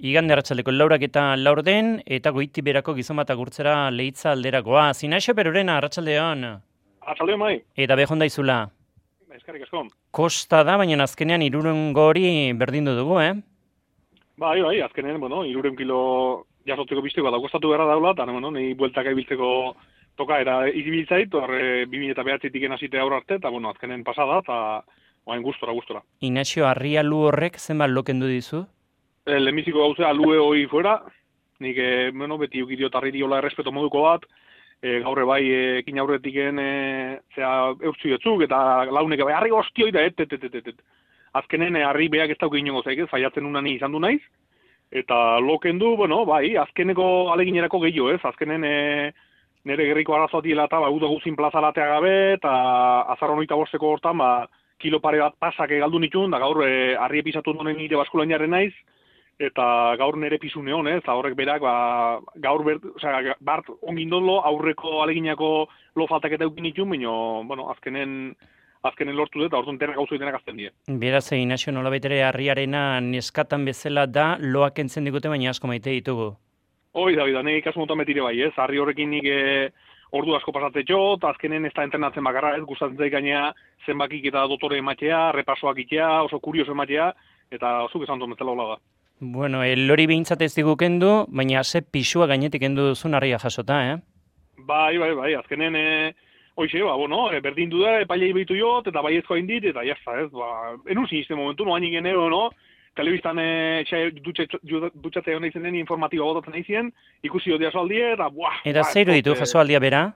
Igande arratsaldeko 4:04 eta goiti berako gizon bat agurtzera Leitza alderakoa. Zinaixo Perurena arratsaldeon. Arratsaldeon bai. Eta behon daizula. Eskerrik asko. Kosta da, baina azkenean 300 hori berdindu dugu, Bai, azkenean, 300 kilo jasotzeko bisteko da kostatu beharra daula, eta nei bueltaka ibiltzeko toka era ibiltzait, hor 2009tik hasite aurre arte, eta azkenen pasada eta orain gustora. Inaxio Arrialu horrek zenbat lokendu dizu? Lehenbiziko gauza alue hoi fuera, nik beti ukidiot arririola errespeto moduko bat, gaurre bai ekin aurretiken eurtzu jotzuk, eta launek bai, harri hostioi da, Azkenen harri beak ez dauk inongo zaik, zaiatzen unani izan du naiz, eta lokendu, bai, azkeneko aleginerako gehiago, ez? Azkenen nire gerriko arazoatiela eta uda guzin plazalatea gabe, eta azarron 25 hortan, kilo pare bat pasak galdu nituen, da gaur harri episatu dunen nire baskulainaren naiz, eta gaur nire pisu neon, eta horrek berak, gaur bart ongindolo aurreko aleginako lo faltak eta eukin nituen, baina, azkenen lortu dut, eta orduan denak gauzo denak azten die. Beraz, Inaxio nolabait ere harriarena neskatan bezala da, loak entzen digute, baina asko maite ditugu. Hoi da, nik kasu motan betire bai, ez? Harri horrekin nik ordu asko pasatzetxo, eta azkenen ez da entrenatzen bakarra, ez? Gustatzen zaik gainea zenbakik eta dotore ematea, repasoak itea, oso kurioso ematea, eta zuk esan duen bezala hola da. Bueno, lori behintzat ez digu kendu, baina ze pisua gainetik kendu duzun harria jasota, Bai, azkenen... Hoize, berdin du da, epailei behitu jot, eta baiezkoa indit, eta jazta, ez, enun sinisten momentu, noan ingen telebistan dutxatzea hona izen den informatiba botatzen izien, ikusi jotea soaldie, eta Eta zeiru ditu jasoaldia bera?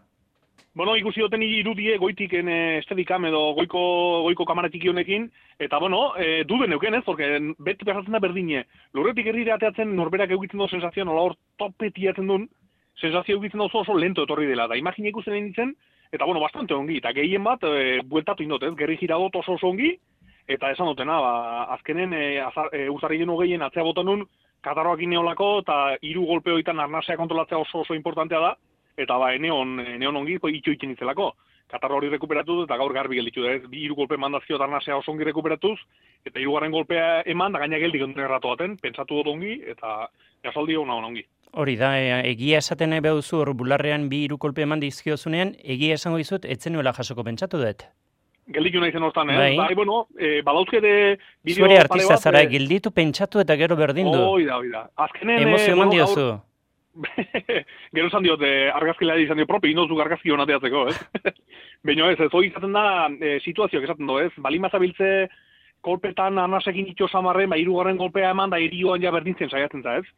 Ikusi joten irudie goitiken estedikam edo goiko kamaratik honekin, eta duden euken ez, porque beti pasatzen da berdine. Lurretik herrire ateatzen norberak eukitzen du sensazioa, nola hor topetiatzen duen, sensazio eukitzen du oso lento etorri dela, da imagine ikusten nintzen, eta bastante ongi, eta gehien bat, bueltatu indot, ez, gerri giradot oso ongi, eta esan dutena, azkenen uzarri denu gehien atzea botan nun, katarroak ineolako, eta 3 golpe hoitan arnasea kontrolatzea oso importantea da, eta eneon ongi, itxo itzen itzelako. Katarro hori rekuperatu eta gaur garbi gelditu da, ez, 3 golpe mandazio arnasea oso ongi rekuperatuz, eta 3. golpea eman, da gaina geldik onduen erratu baten, pentsatu dut ongi, eta jasaldi hona ongi. Hori da, egia esaten nahi behuzu hor bularrean 3 kolpe eman dizkiozunean, egia esango dizut, etzen nuela jasoko pentsatu dut. Gelditu nahi zen hortan, badauzkede bideo... Zuere artista zara, gelditu pentsatu eta gero berdindu. Hoi da. Azkenen... Emozio eman diozu. Gero esan diot, argazkilea izan dio propi, inozu argazki honateatzeko, ez? Baina ez, hoi izaten da situazioak esaten du, ez? Balin mazabiltze kolpetan arnasekin itxo samarren, 3. golpea eman da irioan ja berdintzen saiatzen za, ez?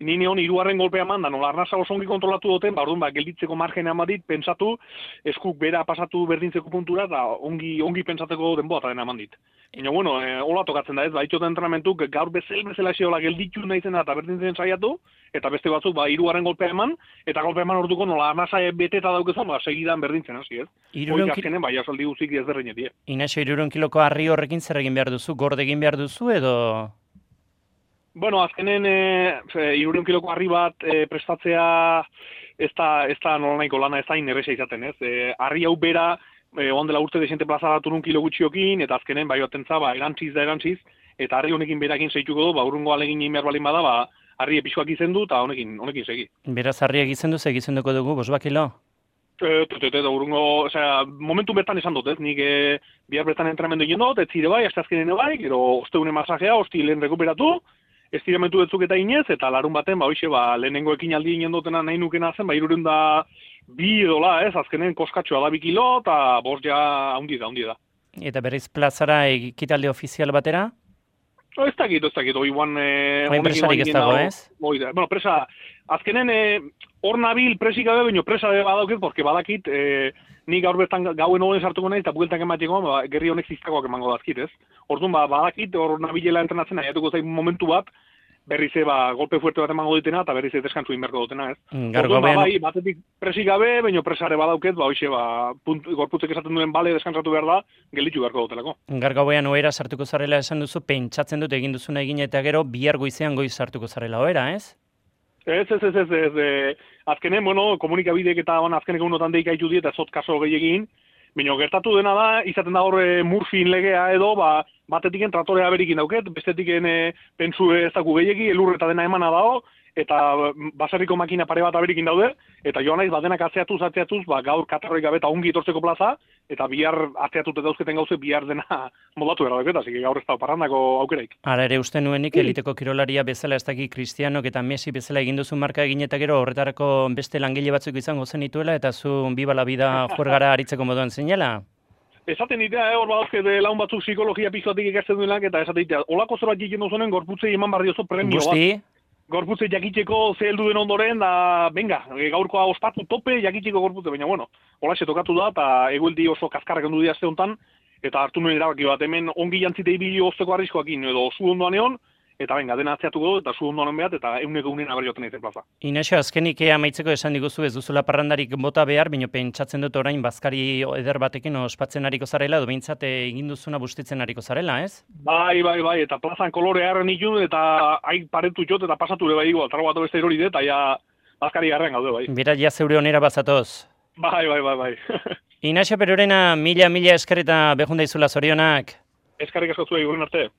Ni neon 3. golpea eman da, nola arnasa oso ongi kontrolatu duten, orduan gelditzeko margena eman pentsatu, eskuk bera pasatu berdintzeko puntura, eta ongi pentsateko denboa eta dena eman dit. Baina, hola tokatzen da ez, itxoten entrenamentuk gaur bezala esiola gelditu nahi zena eta berdintzen saiatu, eta beste batzuk 3. golpea eman, eta golpea eman orduko nola arnasa bete eta daukezan, segidan berdintzen, hasi ez? Hoi azkenen, asaldi guzik ez derreinetie. Inaxo, 300 kiloko harri horrekin zer egin behar duzu, gorde egin behar duzu edo... Azkenen 300 kiloko harri bat prestatzea ez da nola nahiko lana ez da inerreza izaten, ez? Harri hau bera, ondela urte desente plazaratu nun kilo gutxiokin, eta azkenen bai batentza, erantziz, eta harri honekin berakin zeituko du, urrungo alegin egin behar balin bada, harri episoak izendu, eta honekin segi. Beraz, harriak izendu, segizenduko dugu, 5 kilo? Urrungo, momentu bertan esan dut, ez? Nik bihar bertan entramendu egin dut, ez zire bai, azte azkenen bai, gero osteune masajea, lehen rekuperatu, estiramentu betzuk eta inez, eta larun baten, lehenengo ekinaldi inen dutena nahi nukena zen, 302 edola, ez, azkenen koskatxoa da 2 kilo, eta 5 ja haundi da. Eta berriz plazara ekitalde ofizial batera? Ez dakit, oiuan... Oin presarik ez dago, ez? Presa, azkenen hor nabil presik gabe, baina presa badauket, porque badakit, nik gaur bertan gauen honen sartuko nahi, eta bueltak emateko, gerri honek ziztakoak emango dazkit, ez? Orduan, badakit, hor nabilela entrenatzen, nahiatuko zain momentu bat, berriz golpe fuerte bat emango ditena, eta berriz deskantzu inberko dutena, ez? Orduan, batetik presik gabe, baina presare badauket, gorputzek esaten duen bale deskantzatu behar da, gelditu beharko dutelako. Gargauean oera sartuko zarela esan duzu, pentsatzen dut egin duzuna egin eta gero, bihar goizean goiz sartuko zarela oera, ez? Ez. Azkenen, komunikabideek eta azkenek egunotan deika ditu diet, ez zot kaso gehiagin, Baina gertatu dena da, izaten da hor Murphyn legea edo, batetiken tratorea berikin dauket, bestetiken pentsu ez daku gehiegi, elur eta dena emana dago, eta baserriko makina pare bat aberikin daude, eta joan naiz badenak atzeatuz, gaur katarroik gabe eta ongi etortzeko plaza, eta bihar atzeatute dauzketen gauze bihar dena modatu gara dauket, así gaur ez da parrandako aukeraik. Ara ere uste nuenik eliteko kirolaria bezala ez daki Cristianok eta Messi bezala egin duzu marka egin eta gero horretarako beste langile batzuk izango zenituela eta zu biba la vida juergara aritzeko moduan zeinela? Esaten ditea, hor badauzke laun batzuk psikologia pixoatik ikasten duenak, eta esaten ditea, olako zerbait egiten duzunen gorputzei eman behar diozu premio bat. Gorputze jakiteko ze heldu den ondoren, da, venga, gaurkoa ospatu tope jakiteko gorputze, baina, bueno, holaxe tokatu da, eta egueldi oso kaskarrak ondu diazte hontan, eta hartu nuen erabaki bat, hemen ongi jantzite ibili ozteko arriskoakin, edo zu ondoan egon, eta venga, dena atzeatuko du, eta zu ondoan behat, eta euneko unen aberioten eizen plaza. Inaxo, azkenik amaitzeko esan diguzu ez duzula parrandarik bota behar, baina pentsatzen dut orain bazkari eder batekin ospatzen hariko zarela, edo behintzat egin duzuna bustitzen hariko zarela, ez? Bai, eta plazan kolore harren ikun, eta hain paretu jot, eta pasatu ere bai igual, tarro bat beste erori dut, eta ja bazkari garren gaude, bai. Bera, ja zeure onera bazatoz. Bai. Inaxo Perurena, mila esker eta behunda izula zorionak. Eskarrik asko zuei, gure arte.